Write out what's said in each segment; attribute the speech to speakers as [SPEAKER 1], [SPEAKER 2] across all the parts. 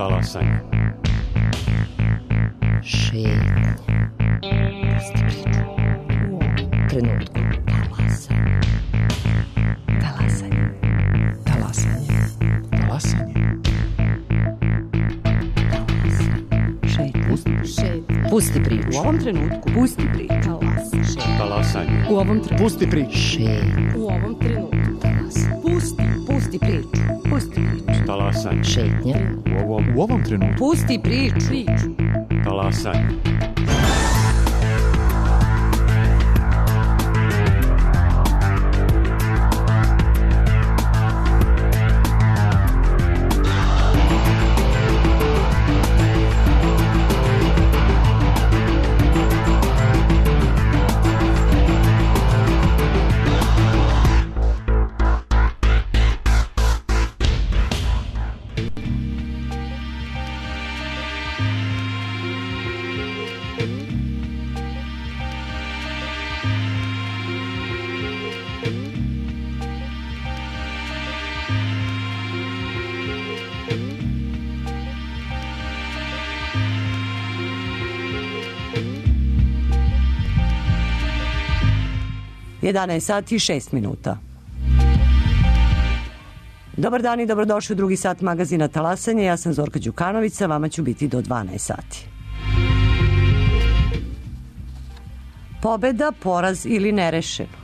[SPEAKER 1] Talasanje.
[SPEAKER 2] Šetnja. Pusti priču. U ovom trenutku. Talasanje. Talasanje. Talasanje.
[SPEAKER 1] Talasanje.
[SPEAKER 2] Šetnja. Pusti priču.
[SPEAKER 3] U ovom trenutku.
[SPEAKER 2] Pusti priču.
[SPEAKER 1] Talasanje.
[SPEAKER 3] U ovom trenutku.
[SPEAKER 1] Pusti priču.
[SPEAKER 2] Šetnja.
[SPEAKER 3] U ovom trenutku. Pusti priču. Pusti priču.
[SPEAKER 1] Talasanje.
[SPEAKER 2] Šetnja.
[SPEAKER 1] U ovom trenutku.
[SPEAKER 3] Pusti priču.
[SPEAKER 1] Talasanje.
[SPEAKER 3] Sati i 6 minuta. Dobar dan i dobrodošli u drugi sat magazina Talasanje. Ja sam Zorka Đukanović, vama ću biti do 12 sati. Pobeda, poraz ili nerešeno.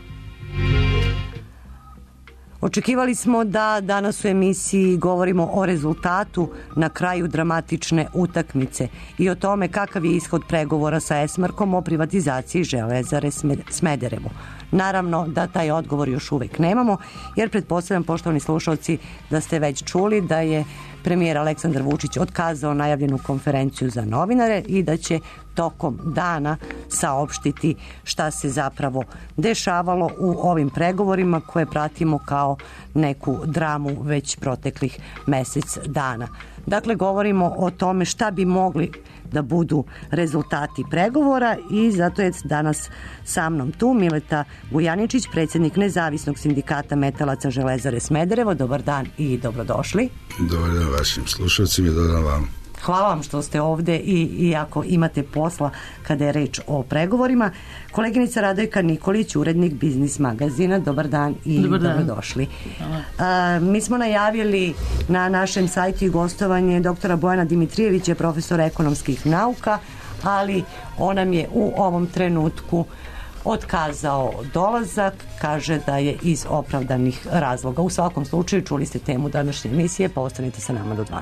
[SPEAKER 3] Očekivali smo da danas u emisiji govorimo o rezultatu na kraju dramatične utakmice i o tome kakav je ishod pregovora sa Esmarkom o privatizaciji Železare Smederevo. Naravno da taj odgovor još uvek nemamo, jer pretpostavljam, poštovani slušalci, da ste već čuli da je premijer Aleksandar Vučić otkazao najavljenu konferenciju za novinare i da će tokom dana saopštiti šta se zapravo dešavalo u ovim pregovorima koje pratimo kao neku dramu već proteklih mesec dana. Dakle, govorimo o tome šta bi mogli da budu rezultati pregovora i zato je danas sa mnom tu Mileta Vujaničić, predsjednik Nezavisnog sindikata metalaca Železare Smederevo. Dobar dan i dobrodošli.
[SPEAKER 4] Dobar dan vašim slušalcima i dobar dan vam.
[SPEAKER 3] Hvala vam što ste ovde i ako imate posla kada je reč o pregovorima. Koleginica Radojka Nikolić, urednik Biznis magazina. Dobar dan i dobrodošli. Mi smo najavili na našem sajtu i gostovanje doktora Bojana Dimitrijevića, profesora ekonomskih nauka, ali on nam je u ovom trenutku otkazao dolazak, kaže da je iz opravdanih razloga. U svakom slučaju čuli ste temu današnje emisije, pa ostanite sa nama do 12.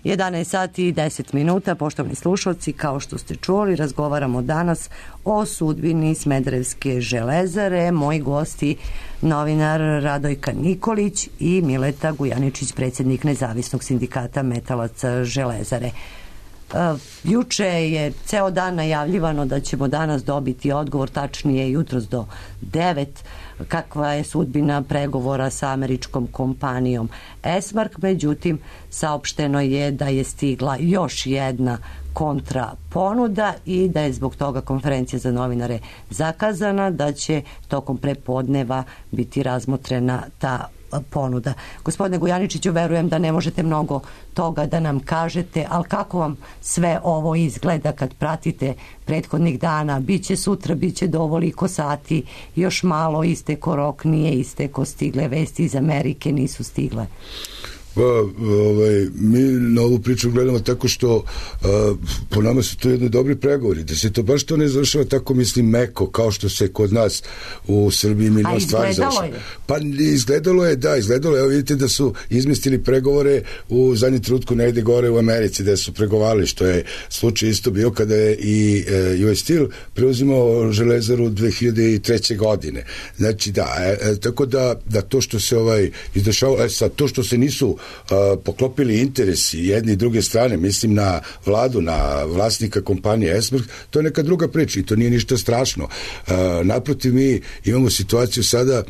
[SPEAKER 3] 11 sati i 10 minuta, poštovani slušalci, kao što ste čuli, razgovaramo danas o sudbini Smederevske železare. Moji gosti, novinar Radojka Nikolić i Mileta Gujaničić, predsjednik Nezavisnog sindikata metalaca železare. Juče je ceo dan najavljivano da ćemo danas dobiti odgovor, tačnije jutros do 9, kakva je sudbina pregovora sa američkom kompanijom Esmark. Međutim, saopšteno je da je stigla još jedna kontra ponuda i da je zbog toga konferencija za novinare zakazana, da će tokom prepodneva biti razmotrena ta ponuda. Gospodine Gujaničiću, verujem da ne možete mnogo toga da nam kažete, ali kako vam sve ovo izgleda kad pratite prethodnih dana? Biće sutra, biće do ovoliko sati, još malo isteko rok, nije isteko, stigle vesti iz Amerike, nisu stigle.
[SPEAKER 4] Mi na ovu priču gledamo tako što po nama su to jedni dobri pregovori, da se to baš to ne završava tako, mislim, meko, kao što se kod nas u Srbiji milion stvari završava. Pa izgledalo je, evo vidite da su izmestili pregovore u zadnjem trenutku negde gore u Americi, da su pregovarali, što je slučaj isto bio kada je i US Steel preuzimao železaru 2003. godine. Znači tako da to što se izdešavalo, sad to što se nisu poklopili interesi jedne i druge strane, mislim na vladu, na vlasnika kompanije Esmark, to je neka druga priča i to nije ništa strašno. Naprotiv, mi imamo situaciju sada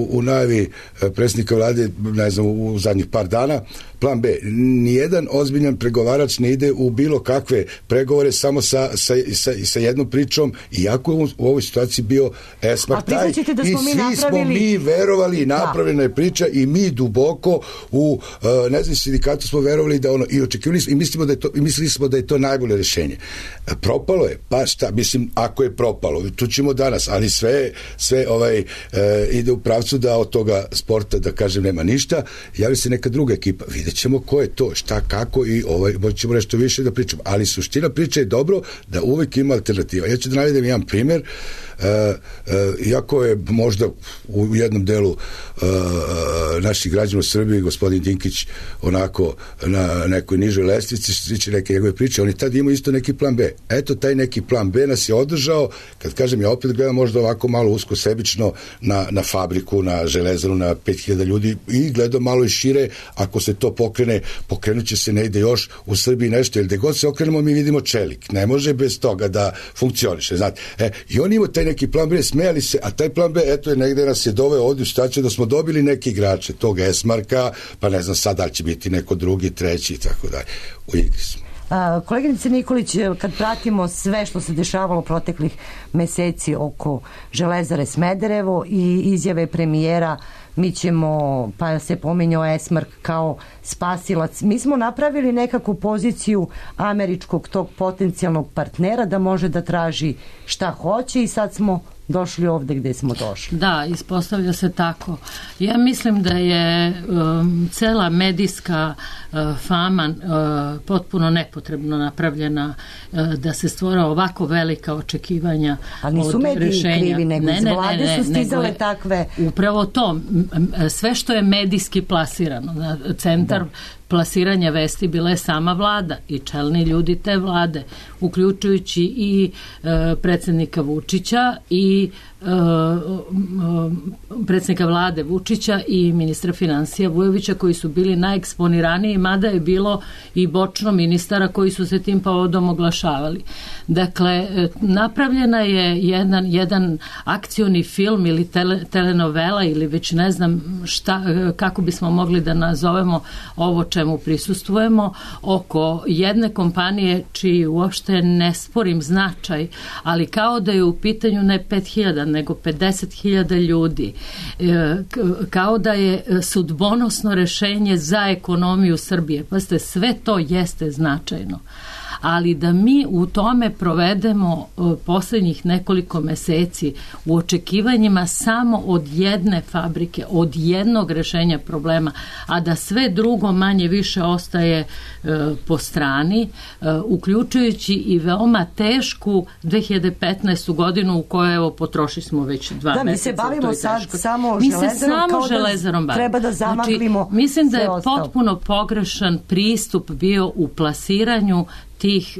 [SPEAKER 4] u najavi predsjednika vlade, ne znam, u zadnjih par dana, plan B. Nijedan ozbiljan pregovarač ne ide u bilo kakve pregovore samo sa jednom pričom, iako je u ovoj situaciji bio Esmark taj. I svi smo mi verovali i napravljena je priča i mi duboko u nezavisnom sindikatu smo verovali da i očekivali smo i mislili smo da je to najbolje rješenje. Propalo je, pa šta, mislim, ako je propalo, tu ćemo danas, ali sve ide u pravcu da od toga sporta, da kažem, nema ništa, javi se neka druga ekipa, vidjet ćemo ko je to, šta, kako i ćemo nešto više da pričamo, ali suština priče je dobro da uvek ima alternativa. Ja ću da navedem jedan primjer, iako je možda u jednom delu naših građana u Srbiji gospodin Dinkić onako na nekoj nižoj lestvici što se tiče neke njegove priče, on je tad imao isto neki plan B. Eto, taj neki plan B nas je održao, kad kažem, ja opet gledam možda ovako malo usko sebično na fabriku, na železaru, na 5000 ljudi i gledam malo i šire, ako se to pokrene, pokrenut će se negde još u Srbiji nešto, jer gde god se okrenemo mi vidimo čelik, ne može bez toga da funkcioniše, znate. I on ima taj neki plan B, smejali se, a taj plan B, eto je negde nas je doveo ovdje u situaciju da smo dobili neki igrače tog Esmarka, pa ne znam sad da li će biti neko drugi, treći i tako dalje. U igri smo.
[SPEAKER 3] Koleginice Nikolić, kad pratimo sve što se dešavalo proteklih meseci oko železare Smederevo i izjave premijera, mi ćemo, pa se pominjao Esmark kao spasilac, mi smo napravili nekakvu poziciju američkog tog potencijalnog partnera da može da traži šta hoće i sad smo došli ovde gde smo došli.
[SPEAKER 5] Da, ispostavlja se tako. Ja mislim da je cela medijska fama potpuno nepotrebno napravljena da se stvora ovako velika očekivanja od rešenja. Ali nisu mediji krivi, nego iz vlade su stizale takve... Upravo to, sve što je medijski plasirano, centar plasiranja vesti bila je sama vlada i čelni ljudi te vlade, uključujući i predsjednika Vučića i predsjednika vlade Vučića i ministra finansija Vujovića, koji su bili najeksponiraniji, mada je bilo i bočno ministara koji su se tim povodom oglašavali. Dakle, napravljena je jedan akcioni film ili telenovela ili već ne znam šta, kako bismo mogli da nazovemo ovo čemu prisustvujemo, oko jedne kompanije čiji uopšte ne sporim značaj, ali kao da je u pitanju ne 5000 nego 50.000 ljudi, kao da je sudbonosno rešenje za ekonomiju Srbije. Pazite, sve to jeste značajno. ali da mi u tome provedemo posljednjih nekoliko meseci u očekivanjima samo od jedne fabrike, od jednog rešenja problema, a da sve drugo manje više ostaje po strani, uključujući i veoma tešku 2015. godinu u kojoj evo potrošili smo već 2 meseca.
[SPEAKER 3] Mi se bavimo sad samo
[SPEAKER 5] železarom,
[SPEAKER 3] treba da zamaglimo.
[SPEAKER 5] Znači, mislim da je potpuno pogrešan pristup bio u plasiranju tih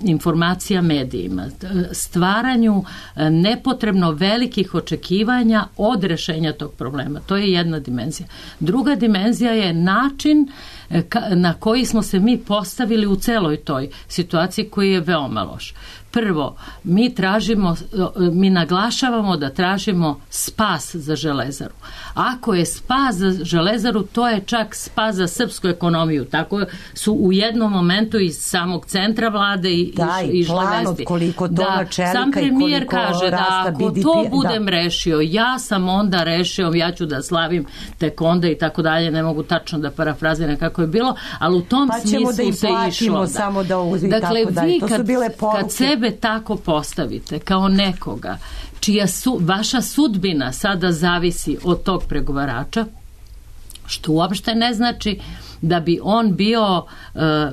[SPEAKER 5] informacija medijima, stvaranju nepotrebno velikih očekivanja od rešenja tog problema. To je jedna dimenzija. Druga dimenzija je način na koji smo se mi postavili u celoj toj situaciji koji je veoma loš. Prvo, mi naglašavamo da tražimo spas za železaru. Ako je spas za železaru, to je čak spas za srpsku ekonomiju. Tako su u jednom momentu iz samog centra vlade i
[SPEAKER 3] plan od koliko tona čelika
[SPEAKER 5] sam premijer kaže da ako to budem rešio, ja sam onda rešio, ja ću da slavim tek onda i tako dalje, ne mogu tačno da parafraziram kako je bilo, ali u tom smislu se išlo.
[SPEAKER 3] Samo da
[SPEAKER 5] dakle, vi kad sebe tako postavite kao nekoga čija vaša sudbina sada zavisi od tog pregovarača, što uopšte ne znači da bi on bio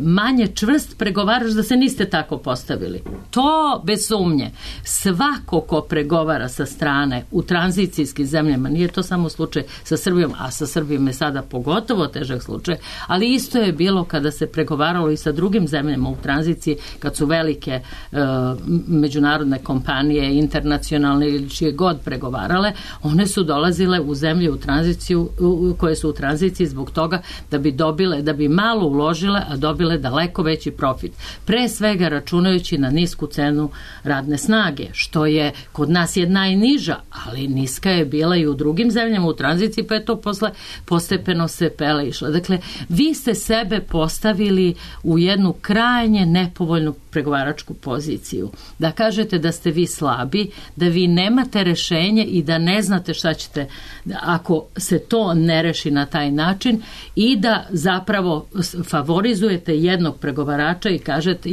[SPEAKER 5] manje čvrst pregovarač da se niste tako postavili. To bez sumnje. Svako ko pregovara sa strane u tranzicijskim zemljama, nije to samo slučaj sa Srbijom, a sa Srbijom je sada pogotovo težak slučaj, ali isto je bilo kada se pregovaralo i sa drugim zemljama u tranziciji, kad su velike međunarodne kompanije, internacionalne ili čije god pregovarale, one su dolazile u zemlje u tranziciju, koje su u tranziciji zbog toga da bi malo uložile, a dobile daleko veći profit. Pre svega računajući na nisku cenu radne snage, što je kod nas je najniža, ali niska je bila i u drugim zemljama u tranziciji, pa je to posle postepeno se pele išlo. Dakle, vi ste sebe postavili u jednu krajnje nepovoljnu pregovaračku poziciju. Da kažete da ste vi slabi, da vi nemate rešenje i da ne znate šta ćete ako se to ne reši na taj način i da zapravo favorizujete jednog pregovarača i kažete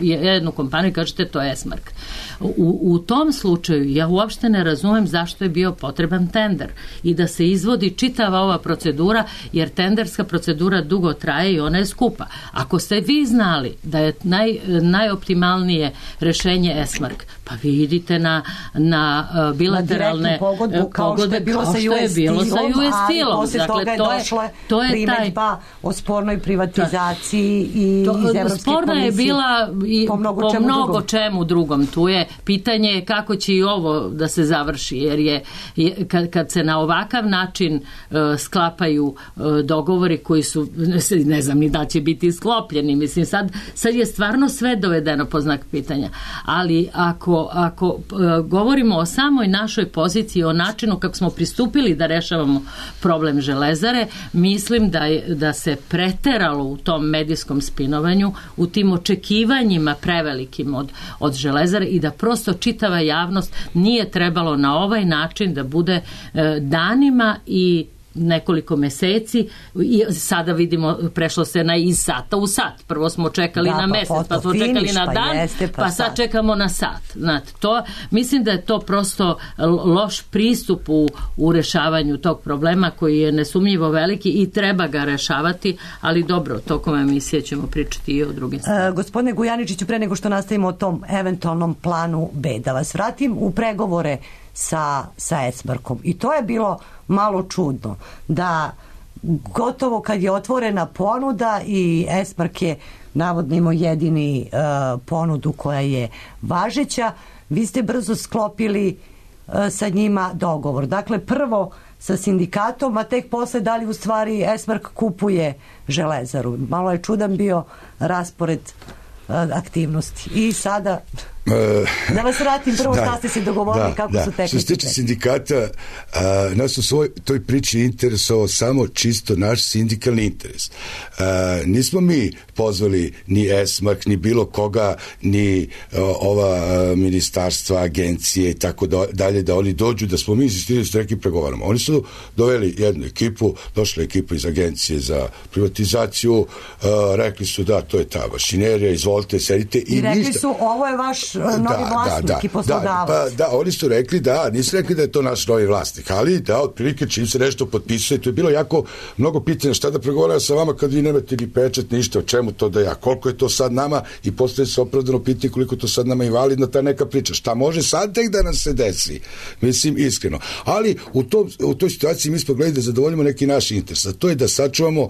[SPEAKER 5] jednu kompaniju i kažete to je Esmark. U tom slučaju ja uopšte ne razumem zašto je bio potreban tender i da se izvodi čitava ova procedura, jer tenderska procedura dugo traje i ona je skupa. Ako ste vi znali da je najoptimalnije rešenje Esmark, pa vi idite na bilateralne pogodbe kao što je bilo sa US Steelom.
[SPEAKER 3] Posle toga je došla primedba o spornoj privatizaciji i iz Evropske komisije.
[SPEAKER 5] Sporna je bila i po mnogo čemu drugom. Tu je pitanje kako će i ovo da se završi, jer kad se na ovakav način sklapaju dogovori koji su, ne znam ni da će biti sklopljeni, mislim sad je stvarno sve dovedeno po znak pitanja, ali ako govorimo o samoj našoj poziciji, o načinu kako smo pristupili da rešavamo problem železare, mislim da se preteralo u tom medijskom spinovanju, u tim očekivanjima prevelikim od železare i da prosto čitava javnost nije trebalo na ovaj način da bude danima i nekoliko meseci i sada vidimo prešlo se iz sata u sat. Prvo smo čekali na mesec, pa smo čekali na dan, pa sad čekamo na sat. Znate, mislim da je to prosto loš pristup u rešavanju tog problema koji je nesumnjivo veliki i treba ga rešavati, ali dobro, tokom emisije ćemo pričati i o drugim stvarima.
[SPEAKER 3] Gospodine Gujaničiću, pre nego što nastavimo o tom eventualnom planu B, da vas vratim u pregovore sa Esmarkom. I to je bilo malo čudno, da gotovo kad je otvorena ponuda i Esmark je navodno imao jedini ponudu koja je važeća, vi ste brzo sklopili sa njima dogovor. Dakle, prvo sa sindikatom, a tek posle da li u stvari Esmark kupuje železaru. Malo je čudan bio raspored aktivnosti. I sada... Da vas vratim prvo šta ste se dogovorili, kako su tekli.
[SPEAKER 4] Što se tiče sindikata, nas u svoj toj priči interesovao samo čisto naš sindikalni interes. Nismo mi pozvali ni ESMAK, ni bilo koga, ni ova ministarstva, agencije i tako dalje, da oni dođu, da smo mi insistirali s nekim pregovaramo. Oni su doveli jednu ekipu, došla ekipa iz agencije za privatizaciju, rekli su da, to je ta mašinerija, izvolite, sedite i
[SPEAKER 3] rekli
[SPEAKER 4] ništa.
[SPEAKER 3] su, ovo je vaš novi vlasnik i poslodavac.
[SPEAKER 4] Oni su rekli nisu rekli da je to naš novi vlasnik, ali da, otprilike čim se nešto potpisuje, to je bilo jako mnogo pitanja, šta da pregovaram sa vama kad vi nemate ni pečat, ništa, o čemu to da ja, koliko je to sad nama, i postoje se opravdano pitanje koliko to sad nama invalidna ta neka priča, šta može sad tek da nam se desi, mislim iskreno, ali u toj situaciji mi smo gledali da zadovoljimo neki naš interes, a to je da sačuvamo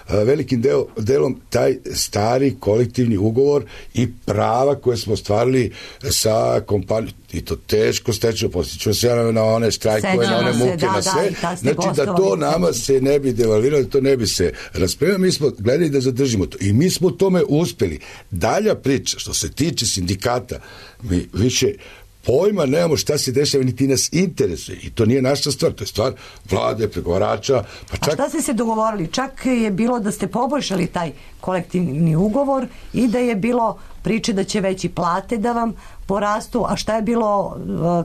[SPEAKER 4] velikim delom taj stari kolektivni ugovor i prava koje smo ostvarili sa kompanijom, i to teško stečeno, postiću se na one štrajkove, na one muke, na sve, znači da to nama se ne bi devalviralo, da to ne bi se raspremio, mi smo gledali da zadržimo to i mi smo u tome uspeli. Dalja priča, što se tiče sindikata, mi više pojma nemamo šta se dešava, niti nas interesuje i to nije naša stvar, to je stvar vlade, pregovarača. Pa čak... A
[SPEAKER 3] šta ste se dogovorili? Čak je bilo da ste poboljšali taj kolektivni ugovor i da je bilo priče da će veći plate da vam porastu, a šta je bilo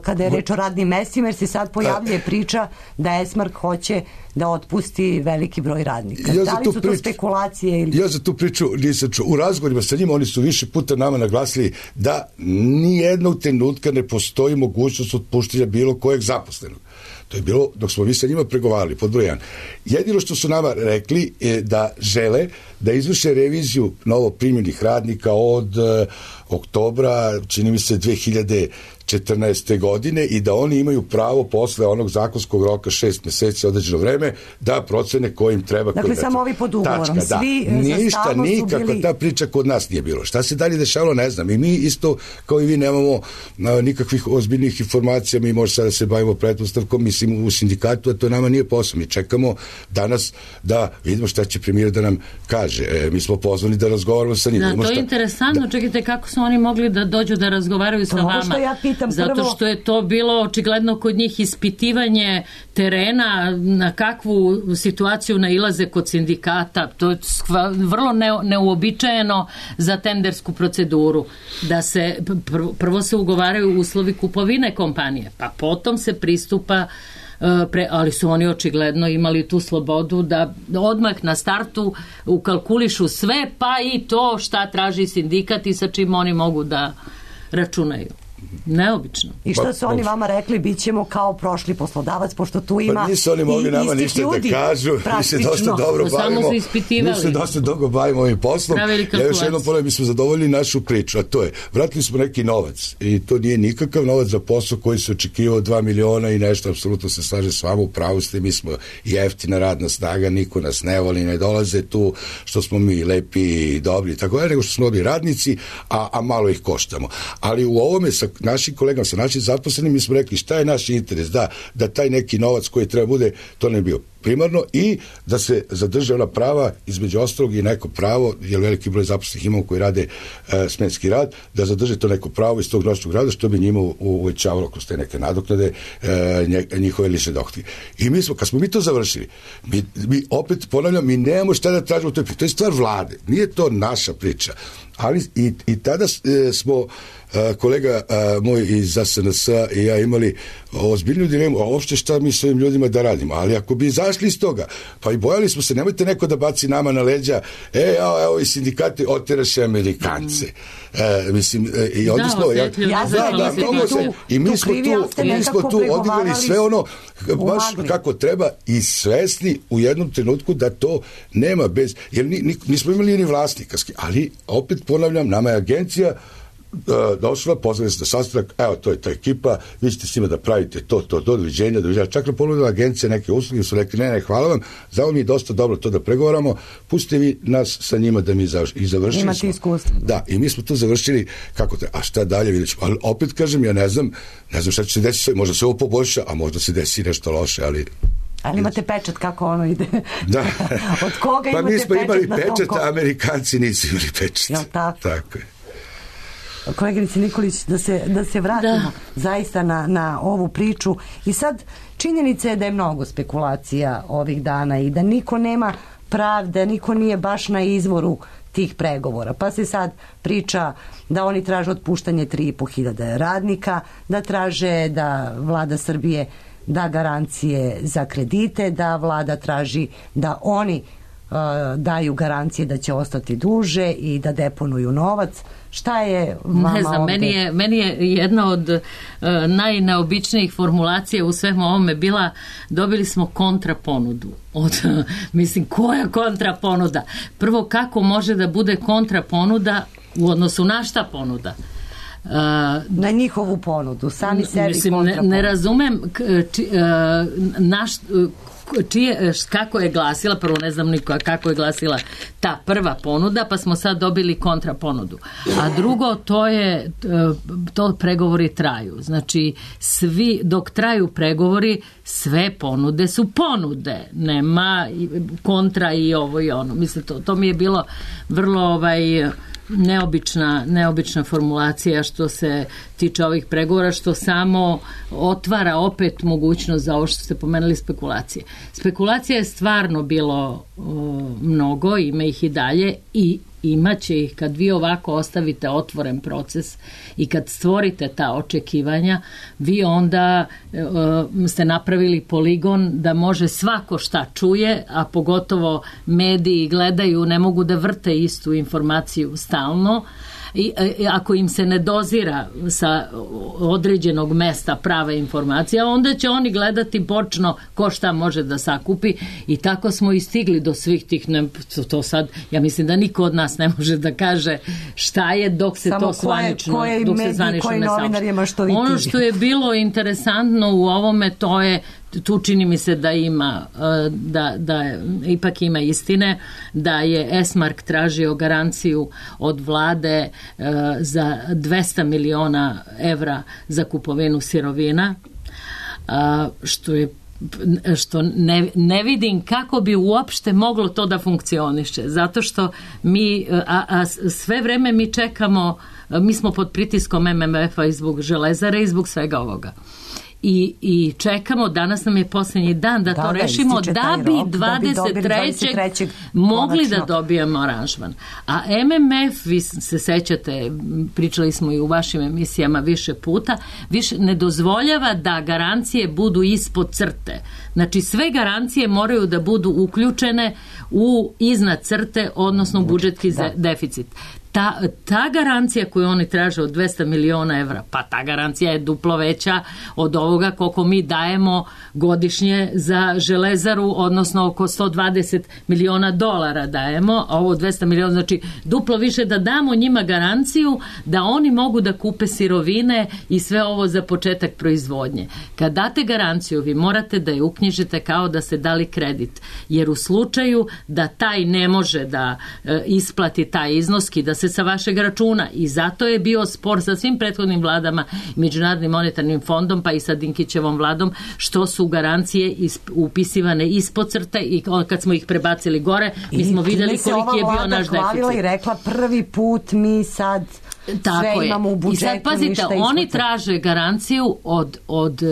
[SPEAKER 3] kada je reč o radnim mestima, jer se sad pojavljuje priča da ESMARK hoće da otpusti veliki broj radnika. Da li su to spekulacije? Ili...
[SPEAKER 4] Ja za tu priču nisam čuo. U razgovorima sa njima oni su više puta nama naglasili da nijednog trenutka ne postoji mogućnost otpuštanja bilo kojeg zaposlenog. To je bilo dok smo mi sa njima pregovarali, pod broj 1. Jedino što su nama rekli je da žele da izvrše reviziju novo primljenih radnika od oktobra, čini mi se 2014. godine i da oni imaju pravo posle onog zakonskog roka 6 meseci određeno vreme da procene ko im treba.
[SPEAKER 3] Dakle, samo ovi pod ugovorom.
[SPEAKER 4] Tačka,
[SPEAKER 3] svi
[SPEAKER 4] ništa, nikako bili... ta priča kod nas nije bilo. Šta se dalje dešavalo, ne znam. I mi isto, kao i vi, nemamo nikakvih ozbiljnih informacija. Mi možemo sada da se bavimo pretpostavkom, mislim, u sindikatu, a to nama nije posao. Mi čekamo danas da vidimo šta će premijer da nam kaže. Mi smo pozvani da razgovaramo sa njim.
[SPEAKER 5] Da, to je interesantno. Čekajte, kako su oni mogli da dođu da razgovaraju sa vama?
[SPEAKER 3] Što ja pitam
[SPEAKER 5] zato
[SPEAKER 3] prvo...
[SPEAKER 5] što je to bilo očigledno kod njih ispitivanje terena, na kakvu situaciju nailaze kod sindikata. To je vrlo neuobičajeno za tendersku proceduru. Da se prvo se ugovaraju uslovi kupovine kompanije, pa potom se pristupa ali su oni očigledno imali tu slobodu da odmah na startu ukalkulišu sve, pa i to šta traži sindikat i sa čim oni mogu da računaju. Neobično.
[SPEAKER 3] I što su oni vama rekli, bit ćemo kao prošli poslodavac, pošto tu ima
[SPEAKER 4] pa nisu oni mogli nama ništa da kažu, mi se dosta dobro bavimo, mi se dosta dobro bavimo ovim poslom. Ja još jednom ponavljam, mi smo zadovoljili našu priču, a to je, vratili smo neki novac i to nije nikakav novac za posao koji se očekivao 2 miliona i nešto, apsolutno se slaže s vama, u pravu ste, mi smo jeftina radna snaga, niko nas ne voli, ne dolaze tu što smo mi lepi i dobri, tako je, nego što smo dobri radnici, a malo ih koštamo. Ali u ovome sa našim kolegama, sa našim zaposlenim, mi smo rekli šta je naš interes, da taj neki novac koji treba bude, to ne bio primarno i da se zadrže ona prava, između ostalog i neko pravo, jer veliki broj zaposlenih imamo koji rade smenski rad, da zadrže to neko pravo iz tog noćnog rada, što bi njima uvećavalo kroz te neke nadoknade njihove lične dohotke. I mi smo, kad smo mi to završili, mi opet ponavljam, mi nemamo šta da tražimo, to je stvar vlade, nije to naša priča, ali i tada smo kolega moj iz SNS i ja imali ozbiljnu dilemu, a uopšte šta mi s ovim ljudima da radimo, ali ako bi izašli iz toga, pa i bojali smo se, nemojte neko da baci nama na leđa, evo i sindikati oteraše Amerikance. Mislim, i onda smo, i mi smo tu odigrali sve ono baš kako treba i svesni u jednom trenutku da to nema bez, jer nismo imali ni vlasnikarski, ali opet ponavljam, nama je agencija došla, pozvali se na sastanak, evo to je ta ekipa, vi ćete s njima da pravite to, doviđenja, čak na ponudila agencija neke usluge, su rekli, ne, hvala vam, za ovo mi je dosta dobro to da pregovaramo, pustite vi nas sa njima da mi završili
[SPEAKER 3] imate smo. Iskustvo.
[SPEAKER 4] Da, i mi smo to završili, kako te, a šta dalje, vidjet ćemo, ali opet kažem, ja ne znam šta će se desiti, možda se ovo poboljša, a možda se desi nešto loše, ali
[SPEAKER 3] imate pečat, kako ono ide?
[SPEAKER 4] Da.
[SPEAKER 3] Od koga imate pečat?
[SPEAKER 4] Pa mi smo imali pečat, a Amerikanci nisu imali pečat.
[SPEAKER 3] Jel tako?
[SPEAKER 4] Tako je.
[SPEAKER 3] koleginice Nikolić, da se vratimo zaista na ovu priču. I sad činjenica je da je mnogo spekulacija ovih dana i da niko nema pravde, niko nije baš na izvoru tih pregovora. Pa se sad priča da oni traže otpuštanje 3.500 radnika, da traže da vlada Srbije da garancije za kredite, da vlada traži da oni daju garancije da će ostati duže i da deponuju novac. Šta je vama
[SPEAKER 5] ne znam,
[SPEAKER 3] ovde?
[SPEAKER 5] Meni je jedna od najneobičnijih formulacija u svemu ovome bila, dobili smo kontraponudu. Mislim, koja kontraponuda? Prvo, kako može da bude kontraponuda u odnosu na šta ponuda?
[SPEAKER 3] Na njihovu ponudu, sami sebi kontraponudu.
[SPEAKER 5] Ne razumem kako je glasila, prvo ne znam niko kako je glasila ta prva ponuda, pa smo sad dobili kontraponudu. A drugo, to pregovori traju. Znači, dok traju pregovori, sve ponude su ponude. Nema kontra i ovo i ono. Mislim, to mi je bilo vrlo neobična formulacija što se tiče ovih pregovora, što samo otvara opet mogućnost za ovo što ste pomenuli spekulacije. Spekulacija je stvarno bilo mnogo, ima ih i dalje i imaće ih kad vi ovako ostavite otvoren proces i kad stvorite ta očekivanja, vi onda ste napravili poligon da može svako šta čuje, a pogotovo mediji gledaju, ne mogu da vrte istu informaciju stalno. I ako im se ne dozira sa određenog mesta prave informacije, onda će oni gledati bočno ko šta može da sakupi i tako smo i stigli do svih tih, to sad, ja mislim da niko od nas ne može da kaže šta je dok se to zvanično ne saopšti. Ono što je bilo interesantno u ovome, to je, tu čini mi se da ima, da ipak ima istine, da je Esmark tražio garanciju od vlade za 200 miliona evra za kupovinu sirovina, što ne vidim kako bi uopšte moglo to da funkcioniše, zato što mi, sve vreme mi čekamo, mi smo pod pritiskom MMF-a i zbog Železare i zbog svega ovoga. I čekamo, danas nam je posljednji dan da to rešimo, da bi 23. mogli da dobijemo aranžman. A MMF, vi se sećate, pričali smo i u vašim emisijama više puta, više ne dozvoljava da garancije budu ispod crte. Znači, sve garancije moraju da budu uključene u iznad crte, odnosno budžetski deficit. Ta garancija koju oni traže od 200 miliona evra, pa ta garancija je duplo veća od ovoga koliko mi dajemo godišnje za Železaru, odnosno oko 120 miliona dolara dajemo, a ovo 200 miliona, znači duplo više da damo njima garanciju da oni mogu da kupe sirovine i sve ovo za početak proizvodnje. Kad date garanciju, vi morate da je uknjižite kao da ste dali kredit, jer u slučaju da taj ne može da isplati taj iznos, da se sa vašeg računa, i zato je bio spor sa svim prethodnim vladama, Međunarodnim monetarnim fondom, pa i sa Dinkićevom vladom, što su garancije upisivane ispod crte i kad smo ih prebacili gore, mi smo vidjeli koliki je bio naš deficit.
[SPEAKER 3] I rekla prvi put mi sad sve imamo u budžetu.
[SPEAKER 5] I sad pazite, oni traže garanciju od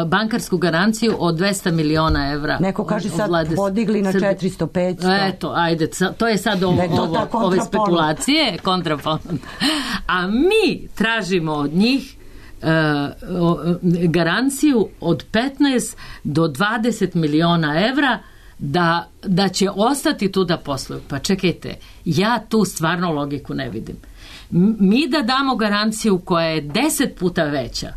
[SPEAKER 5] bankarsku garanciju od 200 miliona evra.
[SPEAKER 3] Neko kaže sad podigli na 400-500.
[SPEAKER 5] Eto, ajde, to je sad ove spekulacije, kontraponuda. A mi tražimo od njih garanciju od 15 do 20 miliona evra da će ostati tu da posluju. Pa čekajte, ja tu stvarno logiku ne vidim. Mi da damo garanciju koja je 10 puta veća,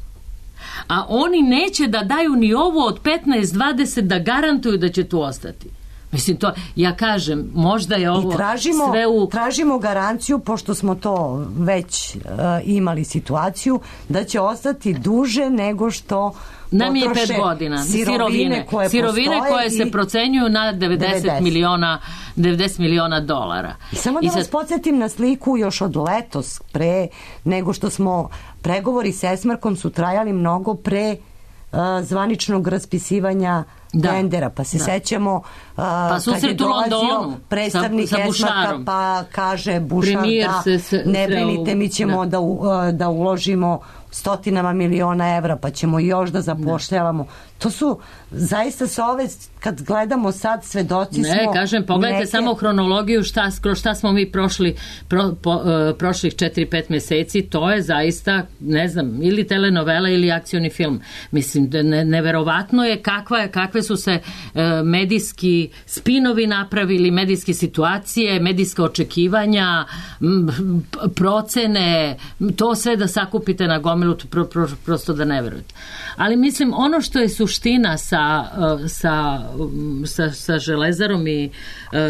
[SPEAKER 5] a oni neće da daju ni ovo od 15-20 da garantuju da će tu ostati. Mislim, to, ja kažem, možda je ovo sve u...
[SPEAKER 3] tražimo garanciju, pošto smo to već imali situaciju, da će ostati duže nego što
[SPEAKER 5] nam je 5 godina. Sirovine koje se procenjuju na 90 miliona dolara.
[SPEAKER 3] I samo da vas podsjetim na sliku još od letos, pre nego što smo pregovori s Esmarkom su trajali mnogo pre zvaničnog raspisivanja tendera, pa se sećamo kad je dolazio predstavnik Esmarka pa kaže Bušar ne brinite, mi ćemo da uložimo stotinama miliona evra, pa ćemo još da zapošljavamo. To su zaista sa ove, kad gledamo sad, svedoci smo...
[SPEAKER 5] Ne, kažem, pogledajte samo hronologiju šta smo mi prošli prošlih 4-5 meseci, to je zaista, ne znam, ili telenovela ili akcioni film. Mislim, neverovatno je kakve su se medijski spinovi napravili, medijske situacije, medijska očekivanja, procene, to sve da sakupite na gomilu, prosto da ne verujete. Ali mislim, ono što je suština sa Železarom i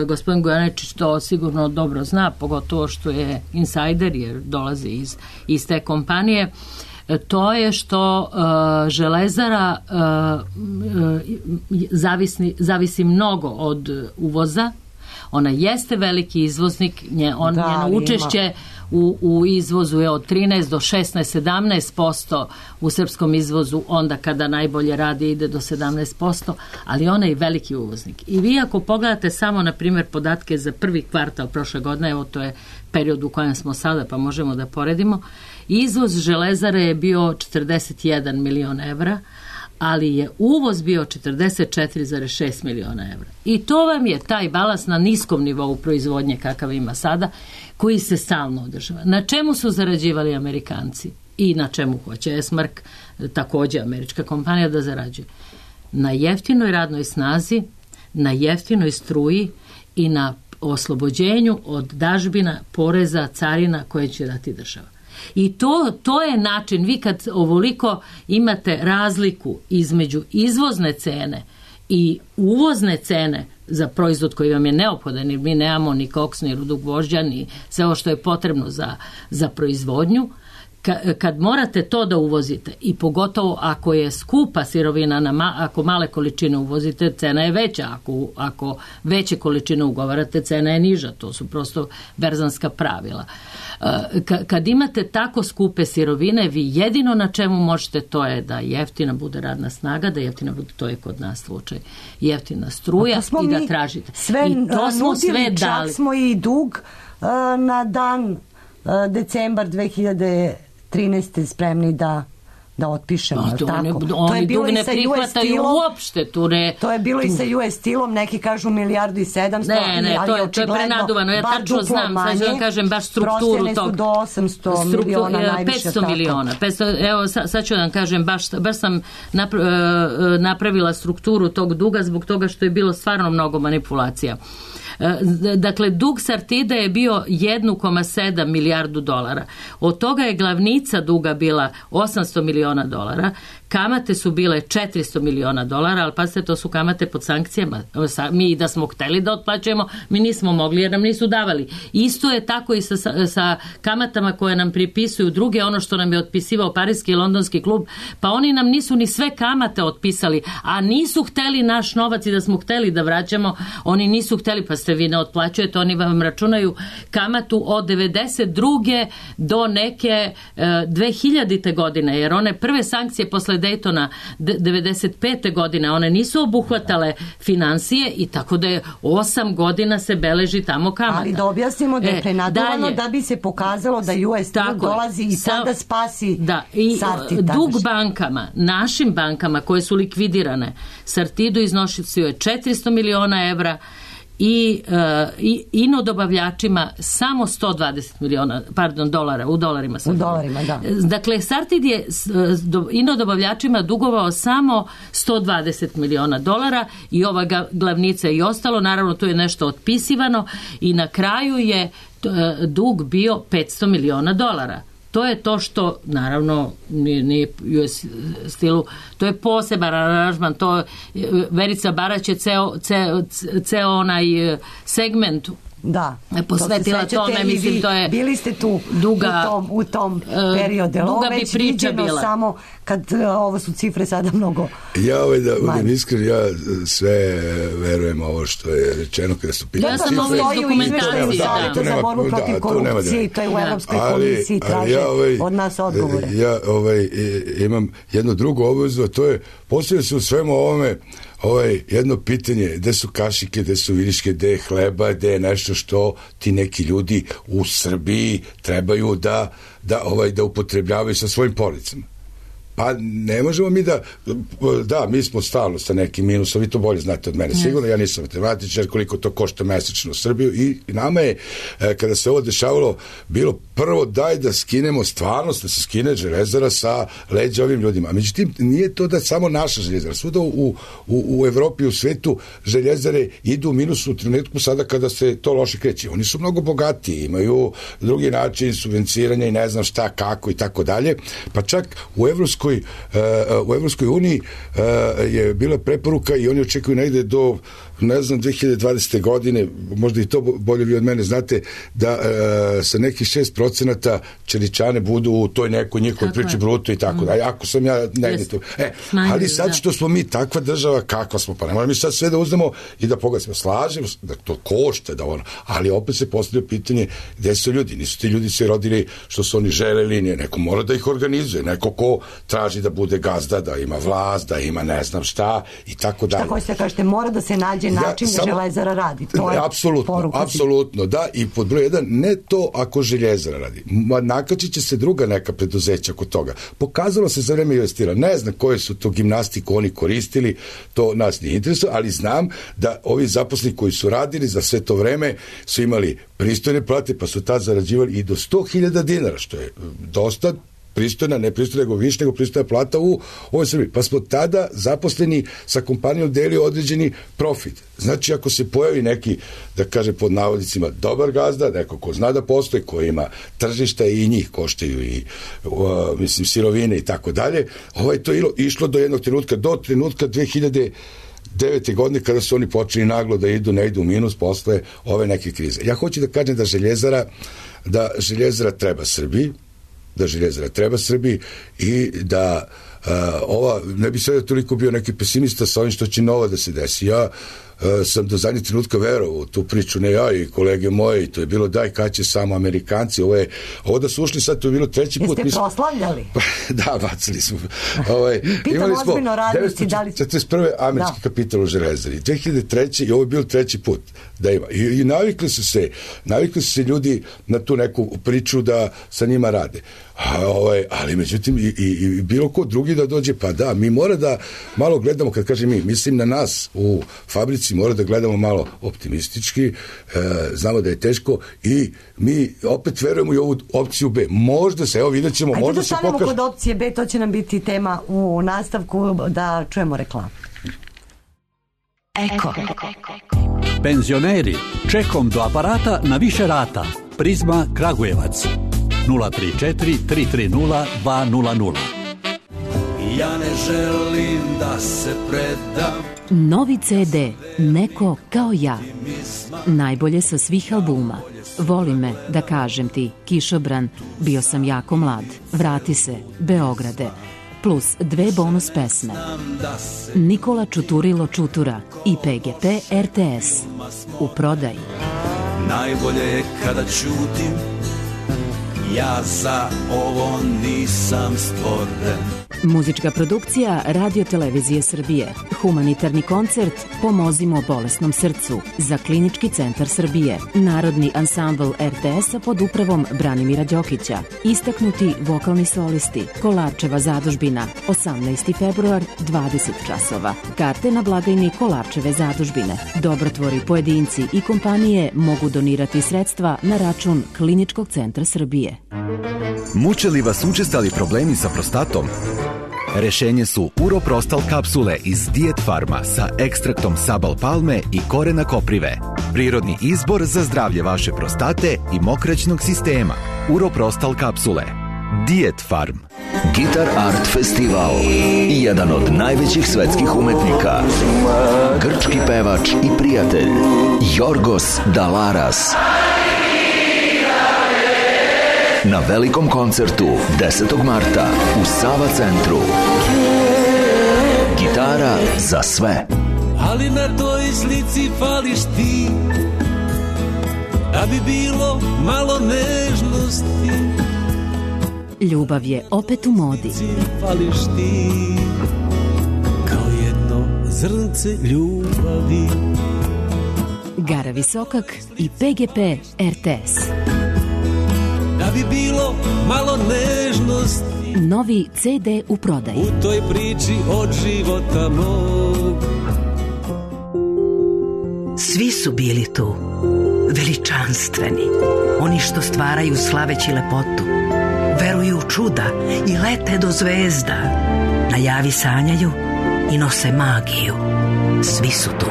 [SPEAKER 5] gospodin Gojaničić to sigurno dobro zna, pogotovo što je insajder jer dolazi iz te kompanije, to je što Železara zavisi mnogo od uvoza. Ona jeste veliki izvoznik, njeno učešće u izvozu je od 13 do 16, 17%, u srpskom izvozu onda kada najbolje radi ide do 17%, ali ona je veliki uvoznik. I vi ako pogledate samo, na primjer, podatke za prvi kvartal prošle godine, evo to je period u kojem smo sada, pa možemo da poredimo, izvoz Železare je bio 41 milion evra, ali je uvoz bio 44,6 miliona evra. I to vam je taj balans na niskom nivou proizvodnje kakav ima sada, koji se stalno održava. Na čemu su zarađivali Amerikanci i na čemu hoće Esmark, također američka kompanija, da zarađuje? Na jeftinoj radnoj snazi, na jeftinoj struji i na oslobođenju od dažbina, poreza, carina koje će dati država. I to je način, vi kad ovoliko imate razliku između izvozne cene i uvozne cene za proizvod koji vam je neophodan, jer mi nemamo ni koks, ni rudu gvožđa, ni sve ovo što je potrebno za proizvodnju, kad morate to da uvozite i pogotovo ako je skupa sirovina, ako male količine uvozite, cena je veća, ako veće količine ugovarate, cena je niža, to su prosto berzanska pravila. Kad imate tako skupe sirovine, vi jedino na čemu možete, to je da jeftina bude radna snaga, da jeftina bude, to je kod nas slučaj, jeftina struja i da tražite. I to smo sve dali.
[SPEAKER 3] Čak smo i dug na dan decembar 2013. spremni da otpišemo.
[SPEAKER 5] Oni dug ne prihvataju uopšte.
[SPEAKER 3] To je bilo i sa US Steelom, neki kažu 1,7 milijardi.
[SPEAKER 5] Ne, to je prenaduvano. Ja tačno znam, sad ću vam kažem baš strukturu tog.
[SPEAKER 3] Prosljene su do 800 miliona najviše.
[SPEAKER 5] 500 miliona. Evo, sad ću vam kažem, baš sam napravila strukturu tog duga zbog toga što je bilo stvarno mnogo manipulacija. Dakle, dug Sartida je bio 1,7 milijardu dolara. Od toga je glavnica duga bila 800 miliona dolara, kamate su bile 400 miliona dolara, ali pazite, to su kamate pod sankcijama. Mi da smo hteli da otplaćujemo, mi nismo mogli jer nam nisu davali. Isto je tako i sa kamatama koje nam pripisuju druge, ono što nam je otpisivao Parijski i Londonski klub, pa oni nam nisu ni sve kamate otpisali, a nisu hteli naš novac i da smo hteli da vraćamo, oni nisu hteli, pa ste vi ne otplaćujete, oni vam računaju kamatu od 92. do neke 2000. godine, jer one prve sankcije posle Daytona 95. godine, one nisu obuhvatale finansije i tako da je 8 godina se beleži tamo kamata.
[SPEAKER 3] Ali da objasnimo da je prenaduvano da bi se pokazalo da US dolazi i sada spasi Sartid.
[SPEAKER 5] Dug bankama, našim bankama koje su likvidirane, Sartidu iznosio je 400 miliona evra, i inodobavljačima samo 120 miliona, dolara, u dolarima.
[SPEAKER 3] U dolarima, da.
[SPEAKER 5] Dakle, Sartid je inodobavljačima dugovao samo 120 miliona dolara i ova glavnica i ostalo, naravno tu je nešto otpisivano i na kraju je dug bio 500 miliona dolara. To je to što, naravno, nije US Steelu, to je poseban aranžman, to Verica Barać je ceo onaj segment posvetila tome, mislim, to je
[SPEAKER 3] bili ste tu u tom periodu.
[SPEAKER 5] Duga bi priča bila.
[SPEAKER 3] Samo kad ovo su cifre sada mnogo
[SPEAKER 4] da budem iskren, ja sve verujem ovo što je rečeno kada su pitali
[SPEAKER 5] cifre. Ja sam ovo iz dokumentacije.
[SPEAKER 3] Za borbu protiv korupcije i to je u Evropskoj komisiji traže od nas odgovore.
[SPEAKER 4] Ja imam jednu drugu obvezu, a to je poslije se u svemu ovome jedno pitanje, gde su kašike, gde su viriške, gde je hleba, gde je nešto što ti neki ljudi u Srbiji trebaju da upotrebljavaju sa svojim porodicama. Pa ne možemo mi da, mi smo stalno sa nekim minusom, vi to bolje znate od mene, sigurno, ja nisam matematičar, koliko to košta mesečno u Srbiju i nama je, kada se ovo dešavalo, bilo prvo daj da skinemo stvarnost, da se skine železara sa leđa ovim ljudima. Međutim, nije to da samo naša željezara, svuda u Evropi, u svetu, željezare idu u minus u trenutku sada kada se to loše kreće. Oni su mnogo bogatiji, imaju drugi način subvenciranja i ne znam šta, kako i tako dalje, pa čak u Evropskoj uniji je bila preporuka i oni očekuju negde do 2020. godine, možda i to bolje vi od mene znate, da sa nekih 6% čeličane budu u toj nekoj njihovoj priči bruto i tako da. Ako sam ja negde tu. Ali sad što smo mi takva država, kakva smo, pa ne moramo mi sad sve da uzmemo i da pogledamo. Slažemo da to košta, ali opet se postavlja pitanje gde su ljudi. Nisu ti ljudi se rodili što su oni želeli, neko mora da ih organizuje, neko ko traži da bude gazda, da ima vlast, da ima ne znam šta i tako dalje.
[SPEAKER 3] Šta hoćete da kažete, mora da se nađe način da železara radi. To je
[SPEAKER 4] apsolutno, da, i pod broj 1, ne to ako željezara radi. Nakačit će se druga neka preduzeća kod toga. Pokazalo se za vreme investira. Ne znam koje su to gimnastiku oni koristili, to nas nije interesuje, ali znam da ovi zaposleni koji su radili za sve to vreme su imali pristojne plate, pa su tad zarađivali i do 100.000 dinara, što je dosta pristojna, ne pristojna, nego više nego pristojna plata u ovoj Srbiji. Pa smo tada zaposleni sa kompanijom delili određeni profit. Znači, ako se pojavi neki, da kaže pod navodnicima, dobar gazda, neko ko zna da postoji, ko ima tržišta i njih koštaju i sirovine i tako dalje, to je išlo do jednog trenutka, do trenutka 2009. godine kada su oni počeli naglo da ne idu u minus posle ove neke krize. Ja hoću da kažem da željezara treba Srbiji, i da ne bi sada toliko bio neki pesimista sa ovim što će novo da se desi. Ja sam do zadnjeg trenutka verovao u tu priču, ne ja i kolege moje, i to je bilo daj kad će samo Amerikanci, ovo da su ušli sad, to je bilo treći put.
[SPEAKER 3] Jeste proslavljali?
[SPEAKER 4] Da, bacili smo.
[SPEAKER 3] Pitam ozbiljno radnici, da li...
[SPEAKER 4] 41. američki kapital u železari, 2003. i ovo je bilo treći put da ima. I navikli su se ljudi na tu neku priču da sa njima rade. Ali međutim i bilo ko drugi da dođe, pa da, mi mora da malo gledamo, kad kažem mi, mislim na nas u fabrici, mora da gledamo malo optimistički, znamo da je teško i mi opet verujemo i ovu opciju B. Možda se, evo vidjet ćemo, možda se pokaže. Ajde da stanemo
[SPEAKER 3] kod opcije B, to će nam biti tema u nastavku, da čujemo reklamu.
[SPEAKER 2] Eko.
[SPEAKER 6] Penzioneri, čekom do aparata na više rata. Prizma Kragujevac. 034 330 200.
[SPEAKER 7] Ja ne želim da se predam.
[SPEAKER 8] Novi CD, Neko kao ja. Najbolje sa svih albuma. Voli me, da kažem ti, Kišobran, bio sam jako mlad, Vrati se, Beograde, plus 2 bonus pesme. Nikola Čuturilo Čutura i PGP RTS. U prodaji.
[SPEAKER 7] Najbolje je kada ćutim, ja za ovo nisam stvoren.
[SPEAKER 8] Muzička produkcija Radio Televizije Srbije. Humanitarni koncert Pomozimo bolesnom srcu za Klinički centar Srbije. Narodni ansambl RTS-a pod upravom Branimira Đokića. Istaknuti vokalni solisti. Kolarčeva zadužbina. 18. februar, 20 časova. Karte na blagajni Kolarčeve zadužbine. Dobrotvori, pojedinci i kompanije mogu donirati sredstva na račun Kliničkog centra Srbije.
[SPEAKER 9] Muče li vas učestali problemi sa prostatom? Rešenje su Uroprostal kapsule iz Diet Farma sa ekstraktom sabal palme i korena koprive. Prirodni izbor za zdravlje vaše prostate i mokraćnog sistema. Uroprostal kapsule. Diet Farm.
[SPEAKER 10] Gitar Art Festival. Jedan od najvećih svetskih umetnika. Grčki pevač i prijatelj Jorgos Dalaras. Na velikom koncertu 10. marta u Sava centru. Gitara za sve.
[SPEAKER 7] Ali na toj slici fališ ti, da bi bilo malo nežnosti.
[SPEAKER 8] Ljubav je opet u modi.
[SPEAKER 7] Fališ ti, kao jedno zrnce ljubavi.
[SPEAKER 8] Gara Visokak i PGP RTS.
[SPEAKER 7] Da bi bilo malo nežnosti
[SPEAKER 8] Novi CD u prodaji.
[SPEAKER 7] u toj priči od života mog.
[SPEAKER 2] Svi su bili tu, veličanstveni, oni što stvaraju slaveći lepotu, veruju u čuda i lete do zvezda, na javi sanjaju i nose magiju. Svi su tu.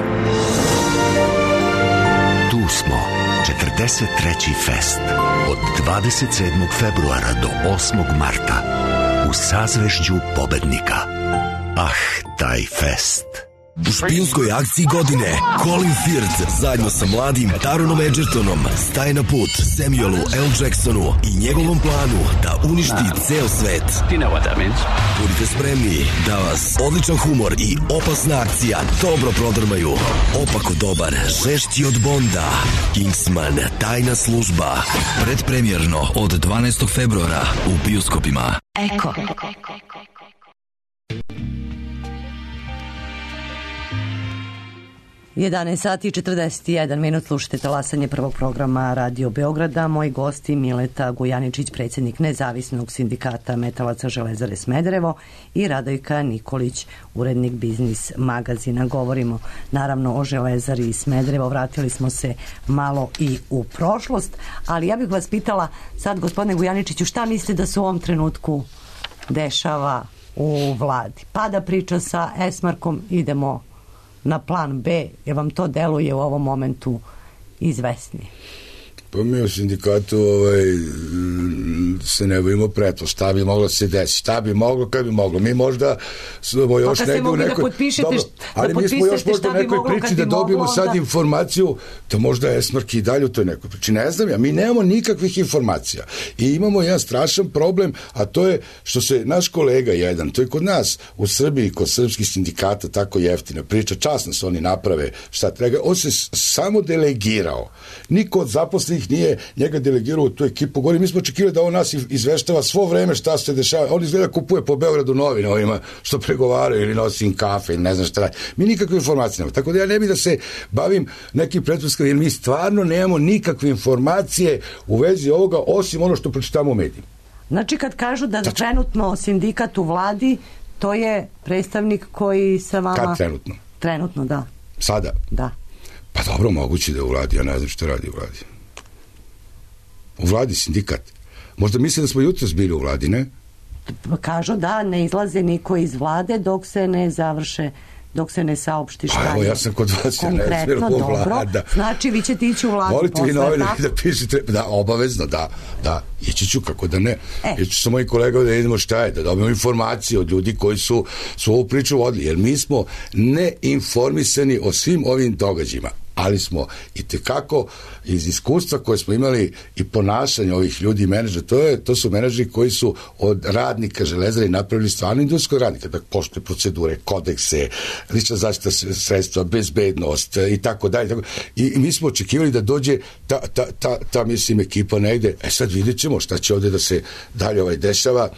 [SPEAKER 11] Tu smo, 43. fest, od 27. februara do 8. marta, u sazvežđu pobednika. Taj fest.
[SPEAKER 12] U špijunskoj akciji godine Colin Firth zajedno sa mladim Taronom Edgertonom staje na put Samuelu L. Jacksonu i njegovom planu da uništi ceo svet. Budite spremni da vas odličan humor i opasna akcija dobro prodrmaju. Opako dobar, žešći od Bonda, Kingsman, tajna služba. Predpremjerno od 12. februara u bioskopima.
[SPEAKER 2] Eko.
[SPEAKER 3] 11 sati i 41 minut, slušate talasanje prvog programa Radio Beograda. Moji gosti Mileta Gujaničić, predsjednik Nezavisnog sindikata metalaca Železare Smederevo, i Radojka Nikolić, urednik Biznis magazina. Govorimo naravno o Železari Smederevo, vratili smo se malo i u prošlost, ali ja bih vas pitala sad, gospodine Gujaničiću, šta mislite da se u ovom trenutku dešava u vladi? Pada priča sa Esmarkom, idemo na plan B, jer vam to deluje u ovom momentu izvesnije?
[SPEAKER 4] Pa mi u sindikatu se ne bojimo pretvo, šta bi moglo se desiti, šta bi moglo, kad bi moglo. Mi možda smo još negdje u nekoj... Ali mi smo još možda u nekoj priči da dobijemo sad informaciju da možda Esmark i dalje u toj nekoj priči. Ne znam ja, mi nemamo nikakvih informacija. I imamo jedan strašan problem, a to je što se naš kolega jedan, to je kod nas u Srbiji, kod srpskih sindikata tako jeftina priča, časno se oni naprave šta treba, on se samo delegirao. Niko od zaposlenih nije njega delegirao u tu ekipu. Govorim, mi smo očekivali da on nas izveštava svo vreme šta se dešava. On izgleda kupuje po Beogradu novine ovima što pregovaraju ili nosi im kafe ili ne znam šta radi. Mi nikakve informacije nemamo. Tako da ja ne bih da se bavim nekim pretpostavkama, jer mi stvarno nemamo nikakve informacije u vezi ovoga, osim ono što pročitamo u medijima.
[SPEAKER 3] Znači kad kažu da trenutno sindikat u vladi, to je predstavnik koji sa vama...
[SPEAKER 4] Kad trenutno?
[SPEAKER 3] Trenutno, da.
[SPEAKER 4] Sada?
[SPEAKER 3] Da.
[SPEAKER 4] Pa dobro, moguće da je u vladi, ja ne znam što radi u vladi. U vladi sindikat. Možda misle da smo jutros bili u vladi, ne?
[SPEAKER 3] Kažu da ne izlaze niko iz vlade dok se ne završe, dok se ne saopšti šta je.
[SPEAKER 4] Evo, ja sam kod vas,
[SPEAKER 3] konkretno, dobro. Znači, vi ćete ići u vladu
[SPEAKER 4] volite
[SPEAKER 3] posle,
[SPEAKER 4] vi novine da pišete, da, obavezno, da, ići ću kako da ne. Ići sa mojim kolegama da vidimo šta je, da dobijemo informacije od ljudi koji su ovu priču vodili, jer mi smo neinformisani o svim ovim događajima. Ali smo i tekako iz iskustva koje smo imali i ponašanja ovih ljudi i menadžera, to su menadžeri koji su od radnika Železare napravili stvarno industrijskog radnika, da poštuje procedure, kodekse, lična zaštita sredstva, bezbednost i tako dalje. I mi smo očekivali da dođe ta mislim ekipa negde. Sad vidjet ćemo šta će ovde da se dalje dešava,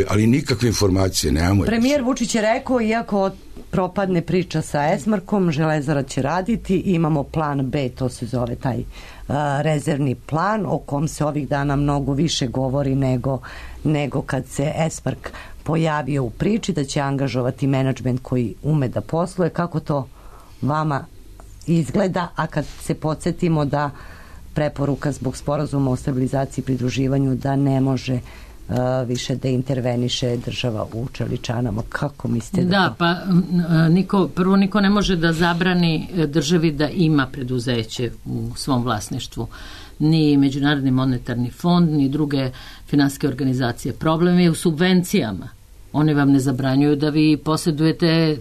[SPEAKER 4] ali nikakve informacije nemamo.
[SPEAKER 3] Premijer Vučić je rekao, iako propadne priča sa Esmarkom, Železara će raditi, imamo plan B, to se zove taj rezervni plan, o kom se ovih dana mnogo više govori nego kad se Esmark pojavio u priči, da će angažovati menadžment koji ume da posluje. Kako to vama izgleda, a kad se podsjetimo da preporuka zbog sporazuma o stabilizaciji i pridruživanju da ne može više da interveniše država u Čeličanama. Kako mislite da
[SPEAKER 5] pa prvo niko ne može da zabrani državi da ima preduzeće u svom vlasništvu. Ni Međunarodni monetarni fond, ni druge finansijske organizacije. Problem je u subvencijama. One vam ne zabranjuju da vi posjedujete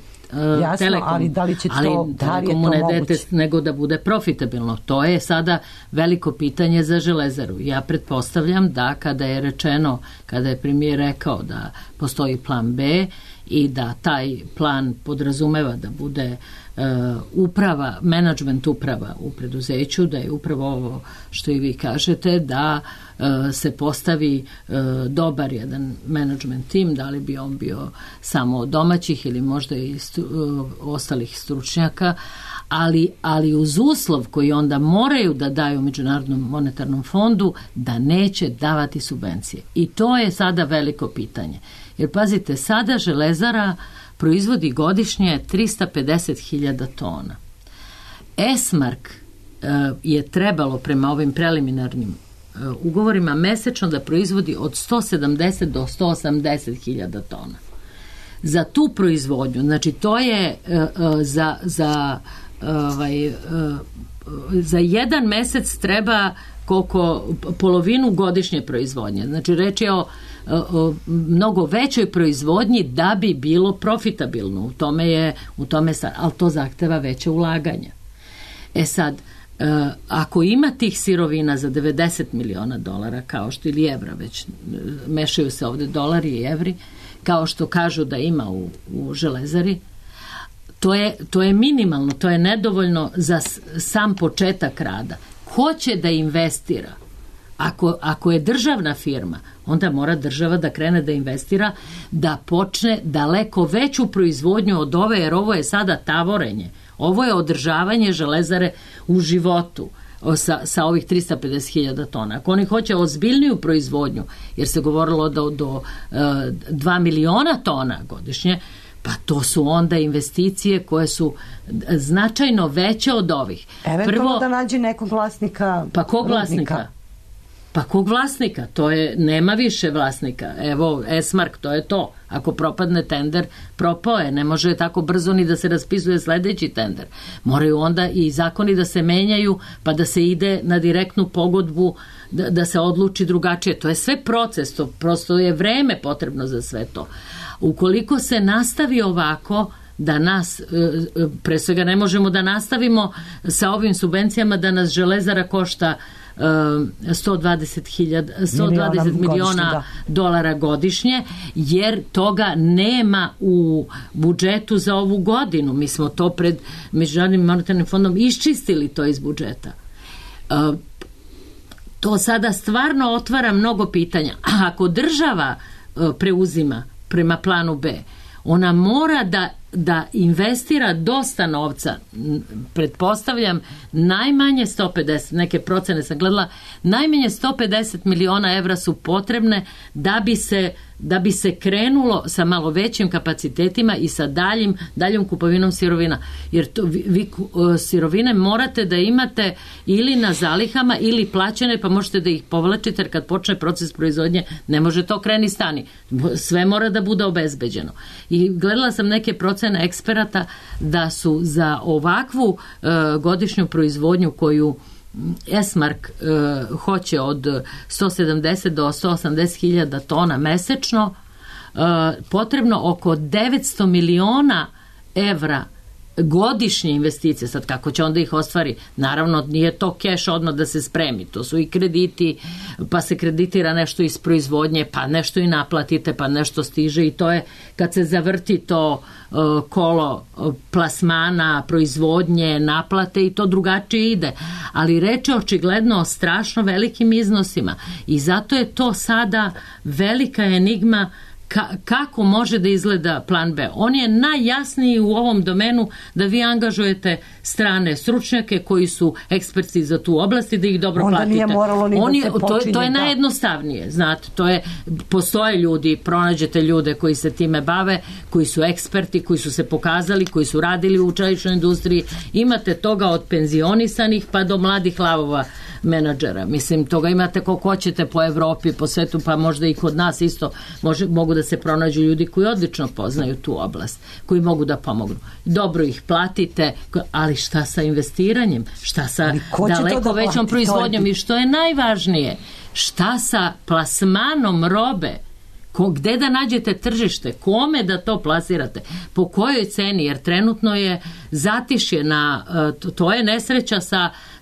[SPEAKER 5] Telekom,
[SPEAKER 3] ali da li će to, da li je to
[SPEAKER 5] moguće? Nego da bude profitabilno. To je sada veliko pitanje za Železaru. Ja pretpostavljam da kada je premijer rekao da postoji plan B i da taj plan podrazumeva da bude uprava, menadžment uprava u preduzeću, da je upravo ovo što i vi kažete, da se postavi dobar jedan menadžment tim, da li bi on bio samo domaćih ili možda i ostalih stručnjaka, ali uz uslov koji onda moraju da daju Međunarodnom monetarnom fondu da neće davati subvencije. I to je sada veliko pitanje. Jer pazite, sada Železara proizvodi godišnje 350.000 tona. Esmark je trebalo prema ovim preliminarnim ugovorima mesečno da proizvodi od 170 do 180.000 tona. Za tu proizvodnju, znači to je za jedan mesec treba polovinu godišnje proizvodnje. Znači reč je o mnogo većoj proizvodnji da bi bilo profitabilno. U tome ali to zahteva veće ulaganja. Sad, ako ima tih sirovina za $90 miliona kao što ili evra, već mešaju se ovde dolari i evri, kao što kažu da ima u Železari, to je minimalno, to je nedovoljno za sam početak rada. Ko će da investira? Ako je državna firma, onda mora država da krene da investira, da počne daleko veću proizvodnju od ove, jer ovo je sada tavorenje. Ovo je održavanje Železare u životu sa ovih 350.000 tona. Ako oni hoće ozbiljniju proizvodnju, jer se govorilo do 2 miliona tona godišnje, pa to su onda investicije koje su značajno veće od ovih.
[SPEAKER 3] Eventualno da nađe nekog vlasnika.
[SPEAKER 5] Pa kog vlasnika? Pa kog vlasnika? To je, nema više vlasnika. Evo, Esmark, to je to. Ako propadne tender, propao je. Ne može tako brzo ni da se raspisuje sledeći tender. Moraju onda i zakoni da se menjaju, pa da se ide na direktnu pogodbu, da se odluči drugačije. To je sve proces, to prosto je vreme potrebno za sve to. Ukoliko se nastavi ovako, da nas, pre svega ne možemo da nastavimo sa ovim subvencijama, da nas Železara košta 120 miliona dolara godišnje, jer toga nema u budžetu za ovu godinu. Mi smo to pred Međunarodnim monetarnim fondom iščistili to iz budžeta. To sada stvarno otvara mnogo pitanja. Ako država preuzima prema planu B, ona mora da investira dosta novca, pretpostavljam najmanje 150, neke procene sam gledala, najmanje 150 miliona evra su potrebne da bi se krenulo sa malo većim kapacitetima i sa daljom kupovinom sirovina. Jer vi sirovine morate da imate ili na zalihama ili plaćene, pa možete da ih povlačite, jer kad počne proces proizvodnje ne može to kreni stani. Sve mora da bude obezbeđeno. I gledala sam neke procene eksperata da su za ovakvu godišnju proizvodnju koju Esmark hoće od 170 do 180.000 tona mesečno, potrebno oko 900 miliona evra godišnje investicije. Sad kako će onda ih ostvari? Naravno nije to keš odmah da se spremi, to su i krediti, pa se kreditira nešto iz proizvodnje, pa nešto i naplatite, pa nešto stiže, i to je kad se zavrti to kolo plasmana, proizvodnje, naplate, i to drugačije ide. Ali reč je očigledno o strašno velikim iznosima i zato je to sada velika enigma kako može da izgleda plan B. On je najjasniji u ovom domenu, da vi angažujete strane stručnjake koji su eksperti za tu oblast i da ih dobro
[SPEAKER 3] onda
[SPEAKER 5] platite.
[SPEAKER 3] Nije moralo ni da se počinje.
[SPEAKER 5] To je najjednostavnije, znate, postoje ljudi, pronađete ljude koji se time bave, koji su eksperti, koji su se pokazali, koji su radili u čeličnoj industriji. Imate toga od penzionisanih pa do mladih lavova menadžera. Mislim, toga imate koliko hoćete po Evropi, po svetu, pa možda i kod nas isto mogu da se pronađu ljudi koji odlično poznaju tu oblast, koji mogu da pomognu. Dobro ih platite, ali šta sa investiranjem? Šta sa daleko većom proizvodnjom? I što je najvažnije, šta sa plasmanom robe Gde da nađete tržište, kome da to plasirate, po kojoj ceni, jer trenutno je zatišje to je nesreća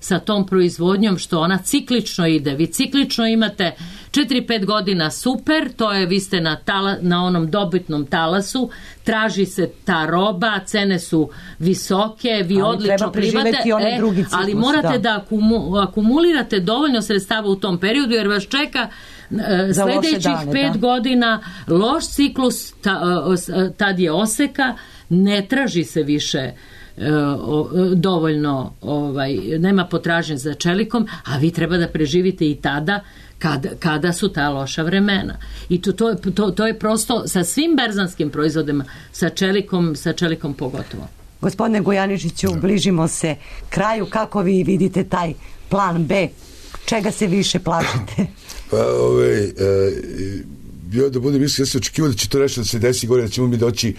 [SPEAKER 5] sa tom proizvodnjom, što ona ciklično ide. Vi ciklično imate 4-5 godina super, to je, vi ste na onom dobitnom talasu, traži se ta roba, cene su visoke, vi odlično primate, ali morate da akumulirate dovoljno sredstava u tom periodu, jer vas čeka sljedećih 5 godina loš ciklus, tad je oseka, ne traži se više dovoljno, nema potražnje za čelikom, a vi treba da preživite i tada kada su ta loša vremena. I to je prosto sa svim berzanskim proizvodima, sa čelikom pogotovo.
[SPEAKER 3] Gospodine Gojaničiću, bližimo se kraju. Kako vi vidite taj plan B? Čega se više plašite?
[SPEAKER 4] Pa, bio da budem mislim, ja sam očekivao da će to nešto da se desi gore, da ćemo mi doći,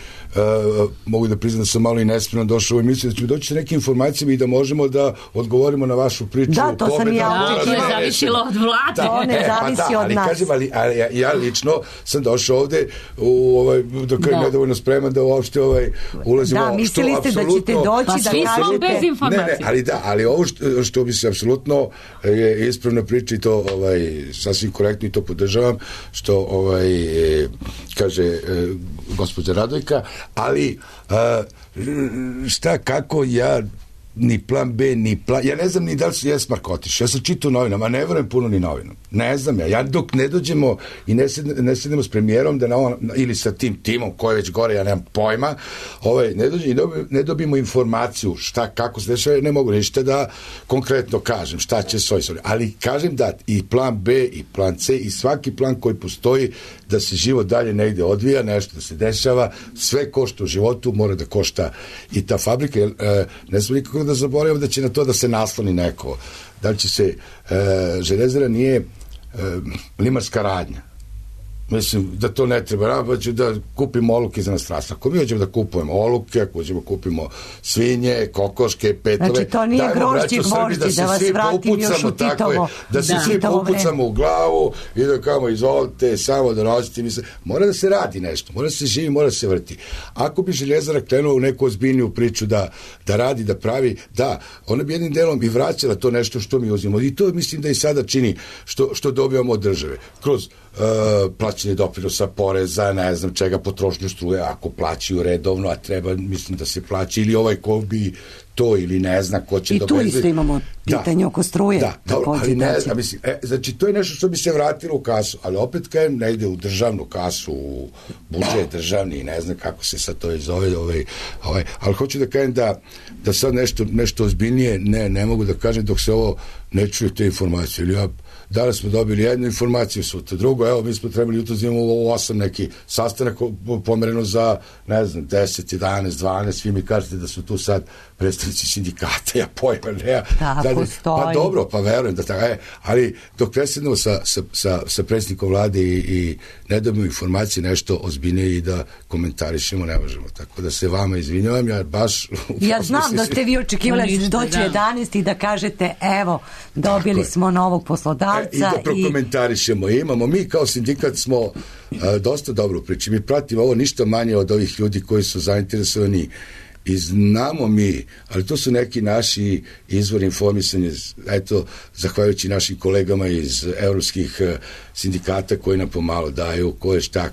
[SPEAKER 4] mogu da priznam da sam malo i nespremno došao u emisiju, da ćemo doći sa nekim informacijama i da možemo da odgovorimo na vašu priču.
[SPEAKER 3] Da, to sam i ja.
[SPEAKER 5] To je zavisilo od vlade.
[SPEAKER 3] To ne zavisi od nas.
[SPEAKER 4] Kažem, ali ja lično sam došao ovde dok je nedovoljno spreman da uopšte ulazimo.
[SPEAKER 3] Da, mislili ste da ćete doći da kažete.
[SPEAKER 5] Bez informacije.
[SPEAKER 4] Ali ovo što bi se apsolutno je ispravna priča i to sasvim korektno i to podržavam, što kaže gospođa Radojka, ali kako ja ni plan B, ni plan, ja ne znam ni da li su Esmark otišao, ja sam čitao novinama, ne verujem puno ni novinama, ne znam ja dok ne dođemo i ne sedemo s premijerom ili sa tim timom koji je već gore, ja nemam pojma, ne dođemo i ne dobijemo informaciju kako se dešava, ne mogu ništa da konkretno kažem šta će ali kažem da i plan B i plan C i svaki plan koji postoji da se život dalje negde odvija, nešto da se dešava, sve košta u životu, mora da košta i ta fabrika, ne znam nikako da zaboravim da će na to da se nasloni neko. Da li će se železara nije limarska radnja. Mislim da to ne treba, pa ću da kupimo oluke za nas. Ako mi hoćemo da kupujemo oluke, ako hoćemo da kupimo svinje, kokoške, petove,
[SPEAKER 3] znači to nije grožđi gvožđi, da vas vratim još u Titovo.
[SPEAKER 4] Da se svi popucamo u glavu i da kao izvolite, samo da nosite. Mora da se radi nešto, mora da se živi, mora da se vrti. Ako bi željezara krenula u neku ozbiljniju priču da radi, da pravi, da, ona bi jednim delom i vraćala to nešto što mi uzimamo. I to mislim da i sada čini što dobijamo od države. Kroz plaćanje doprinosa, poreza, ne znam čega, potrošnju struje, ako plaćaju redovno, a treba, mislim da se plaća, ili ko bi to ili ne zna ko će
[SPEAKER 3] i tu isto imamo pitanje oko struje.
[SPEAKER 4] Da, ali ne znam, mislim, znači to je nešto što bi se vratilo u kasu, ali opet kajem ne ide u državnu kasu, u budžet državni, ne znam kako se sad to zove, ali hoću da kajem da sad nešto ozbiljnije ne mogu da kažem dok se ovo ne čuje te informacije, ili danas smo dobili jednu informaciju, sutra drugo, evo mi smo trebali jutro imamo 8 neki sastanak pomereno za, ne znam, 10, 11, 12, svi mi kažete da su tu sad predstavnici sindikata, ja pojma ne.
[SPEAKER 3] Tako stoji.
[SPEAKER 4] Pa dobro, pa verujem da tako, ali dok presednemo sa predsjednikom vlade i ne dobimo informacije nešto ozbiljnije i da komentarišemo, ne možemo. Tako da se vama izvinjavam,
[SPEAKER 3] ja znam da ste vi očekivali da doći 11 i da kažete, evo, dobili smo novog poslodavca.
[SPEAKER 4] I da prokomentarišemo. Imamo, mi kao sindikat smo dosta dobro priči. Mi pratimo ovo ništa manje od ovih ljudi koji su zainteresovani i znamo mi, ali to su neki naši izvori informisanja, eto, zahvaljujući našim kolegama iz evropskih sindikata koji nam pomalo daju ko je šta,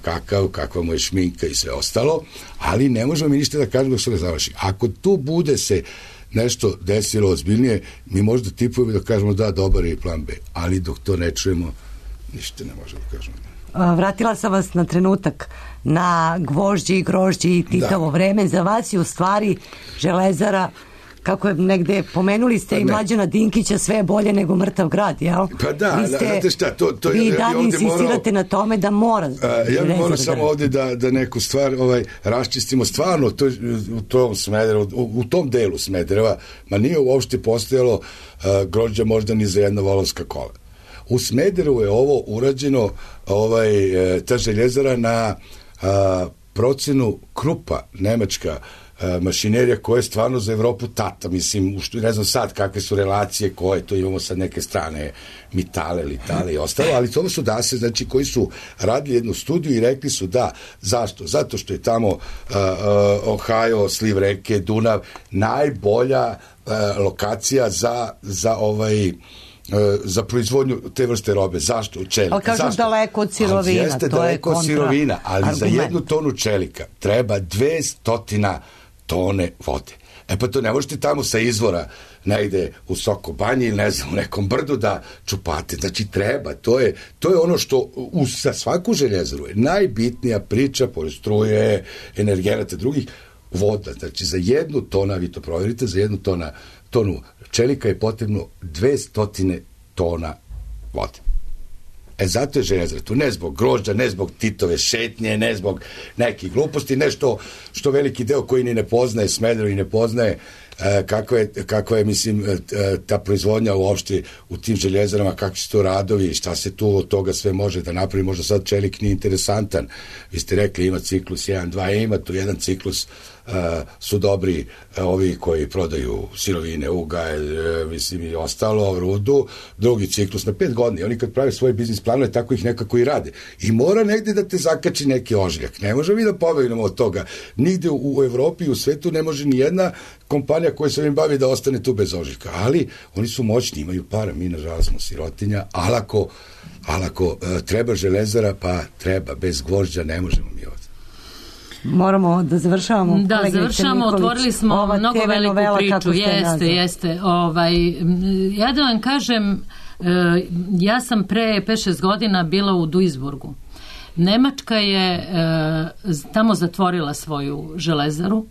[SPEAKER 4] kakva mu je šminka i sve ostalo, ali ne možemo mi ništa da kažemo dok se ne završi. Ako tu bude se nešto desilo ozbiljnije, mi možda tipujemo da kažemo da, dobar je plan B, ali dok to ne čujemo, ništa ne možemo da kažemo.
[SPEAKER 3] Vratila sam vas na trenutak na gvožđi i grožđi i Titovo vreme. Za vas je u stvari železara, kako je negde pomenuli ste i Mlađana Dinkića, sve je bolje nego mrtav grad, jel?
[SPEAKER 4] Pa da, znate šta,
[SPEAKER 3] vi i dalje insistirate na tome da mora.
[SPEAKER 4] Ja bih morao samo ovde da neku stvar raščistimo. Stvarno, u tom Smederevu, u tom delu Smedereva, ma nije uopšte postojalo grožđa možda ni za jedna volovska kola. U Smederevu je ovo urađeno, ta željezara na procenu Krupa, nemačka mašinerija koja je stvarno za Evropu tata, mislim, ne znam sad kakve su relacije, koje to imamo sad neke strane, Mitale, Litale i ostalo, ali to su dase, znači, koji su radili jednu studiju i rekli su da, zašto? Zato što je tamo Ohio, sliv reke, Dunav, najbolja lokacija za proizvodnju te vrste robe. Zašto? Čelika.
[SPEAKER 3] Ali kažem daleko od sirovina.
[SPEAKER 4] Jeste daleko od sirovina, ali argument. Za 1 tonu čelika treba 200 tone vode. Pa to ne možete tamo sa izvora negde u Sokobanji ili ne znam, u nekom brdu da čupate. Znači treba, to je ono što za svaku željezaru je najbitnija priča, pored struje, energenata drugih, voda. Znači za 1 tona, vi to provjerite, za 1 tonu čelika je potrebno 200 tona vode. Zato je željezara tu, ne zbog grožđa, ne zbog Titove šetnje, ne zbog nekih gluposti, nešto što veliki deo koji ni ne poznaje Smederevo i ne poznaje kako je, mislim, ta proizvodnja uopšte u tim željezarama, kakvi su to radovi, šta se tu od toga sve može da napravi. Možda sad čelik nije interesantan. Vi ste rekli ima ciklus 1, 2, ima tu jedan ciklus, su dobri ovi koji prodaju sirovine, ugalj, mislim i ostalo, rudu, drugi ciklus na 5 godina. Oni kad prave svoje biznis planove, tako ih nekako i rade. I mora negde da te zakači neki ožiljak. Ne možemo mi da pobegnemo od toga. Nigde u Evropi i u svetu ne može ni jedna kompanija koja se ovim bavi da ostane tu bez ožiljka. Ali oni su moćni, imaju para. Mi, nažalost, smo sirotinja, ali ako treba železara, pa treba. Bez gvožđa ne možemo mi ovdje.
[SPEAKER 3] Moramo da završavamo.
[SPEAKER 5] Da, završavamo, otvorili smo mnogo veliku priču. Jeste. Ja da vam kažem, ja sam pre 5-6 godina bila u Duisburgu. Nemačka je tamo zatvorila svoju železaru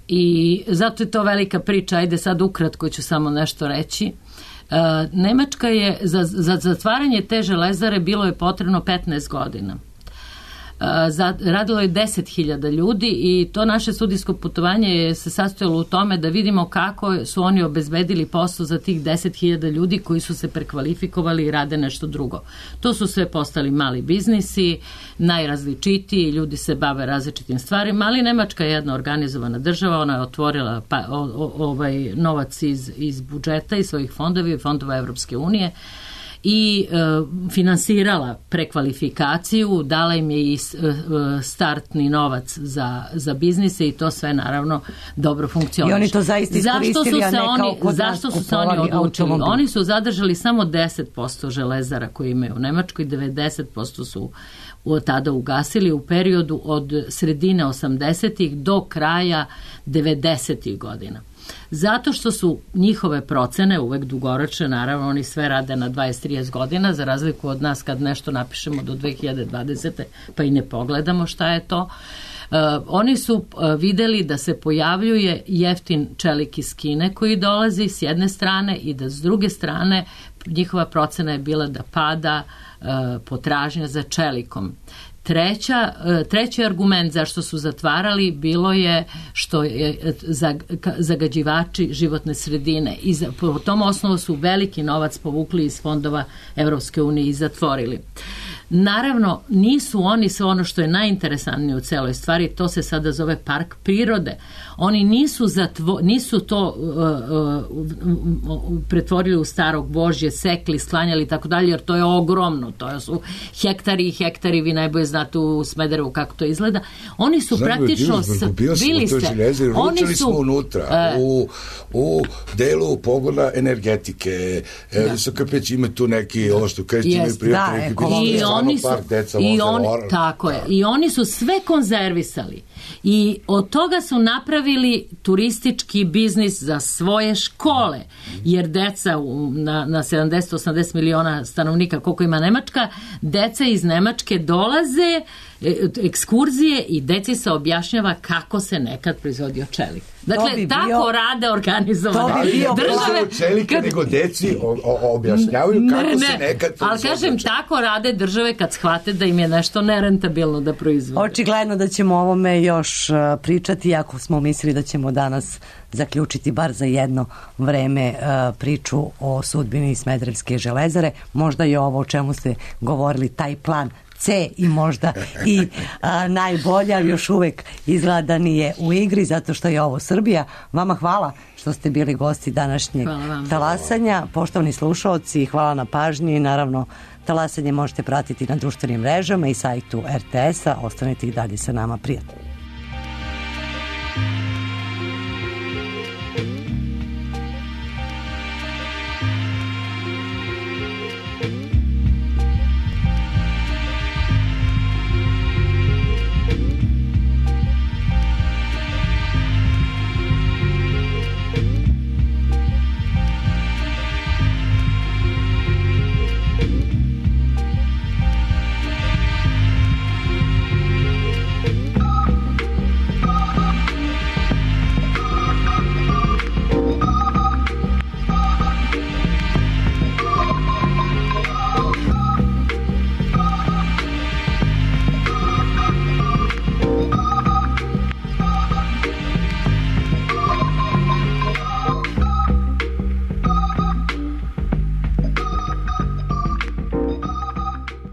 [SPEAKER 5] i zato je to velika priča. Ajde sad ukratko ću samo nešto reći. Nemačka je, za zatvaranje te železare bilo je potrebno 15 godina. Radilo je 10.000 ljudi i to naše studijsko putovanje je se sastojalo u tome da vidimo kako su oni obezbedili posao za tih 10.000 ljudi koji su se prekvalifikovali i rade nešto drugo. To su sve postali mali biznisi, najrazličitiji, ljudi se bave različitim stvarima, ali Nemačka je jedna organizovana država, ona je otvorila novac iz budžeta i svojih fondova Evropske unije i finansirala prekvalifikaciju, dala im je i startni novac za biznise i to sve naravno dobro funkcioniše.
[SPEAKER 3] I oni to zaista iskoristili, a ne kao kod nas.
[SPEAKER 5] Zašto su se oni odlučili? Oni su zadržali samo 10% železara koje imaju u Nemačkoj, 90% su tada ugasili u periodu od sredine 80-ih do kraja 90-ih godina. Zato što su njihove procene uvek dugoročne, naravno oni sve rade na 20-30 godina, za razliku od nas kad nešto napišemo do 2020. pa i ne pogledamo šta je to. Oni su videli da se pojavljuje jeftin čelik iz Kine koji dolazi s jedne strane i da s druge strane njihova procena je bila da pada potražnja za čelikom. Treći argument zašto su zatvarali bilo je što je zagađivači životne sredine i po tom osnovu su veliki novac povukli iz fondova Evropske unije i zatvorili. Naravno, nisu oni sve ono što je najinteresantnije u celoj stvari, to se sada zove park prirode. Oni nisu to pretvorili u staro gvožđe, sekli, sklanjali i tako dalje, jer to je ogromno, to su hektari i hektari, vi najbolje znate u Smederevu kako to izgleda. Oni su praktično bili ste.
[SPEAKER 4] Ručali smo unutra, u delu pogona energetike, Visoka Peć ima tu neki, ovo što kreći imaju prijatelji,
[SPEAKER 5] tako je. I oni su sve konzervisali i od toga su napravili turistički biznis za svoje škole, jer deca na 70-80 miliona stanovnika koliko ima Nemačka, deca iz Nemačke dolaze ekskurzije i deci se objašnjava kako se nekad proizvodio čelik. Dakle, tako rade organizovane
[SPEAKER 4] države. Čelika nego deci objašnjavaju kako se nekad proizvodio.
[SPEAKER 5] Ali kažem, tako rade države kad shvate da im je nešto nerentabilno da proizvode.
[SPEAKER 3] Očigledno da ćemo o ovome još pričati, iako smo mislili da ćemo danas zaključiti bar za jedno vreme priču o sudbini Smederevske železare. Možda je ovo o čemu ste govorili, taj plan C i možda i najbolja, još uvek izgleda nije u igri, zato što je ovo Srbija. Vama hvala što ste bili gosti današnjeg talasanja. Poštovani slušaoci, hvala na pažnji. Naravno, talasanje možete pratiti na društvenim mrežama i sajtu RTS-a. Ostanite i dalje sa nama, prijatno.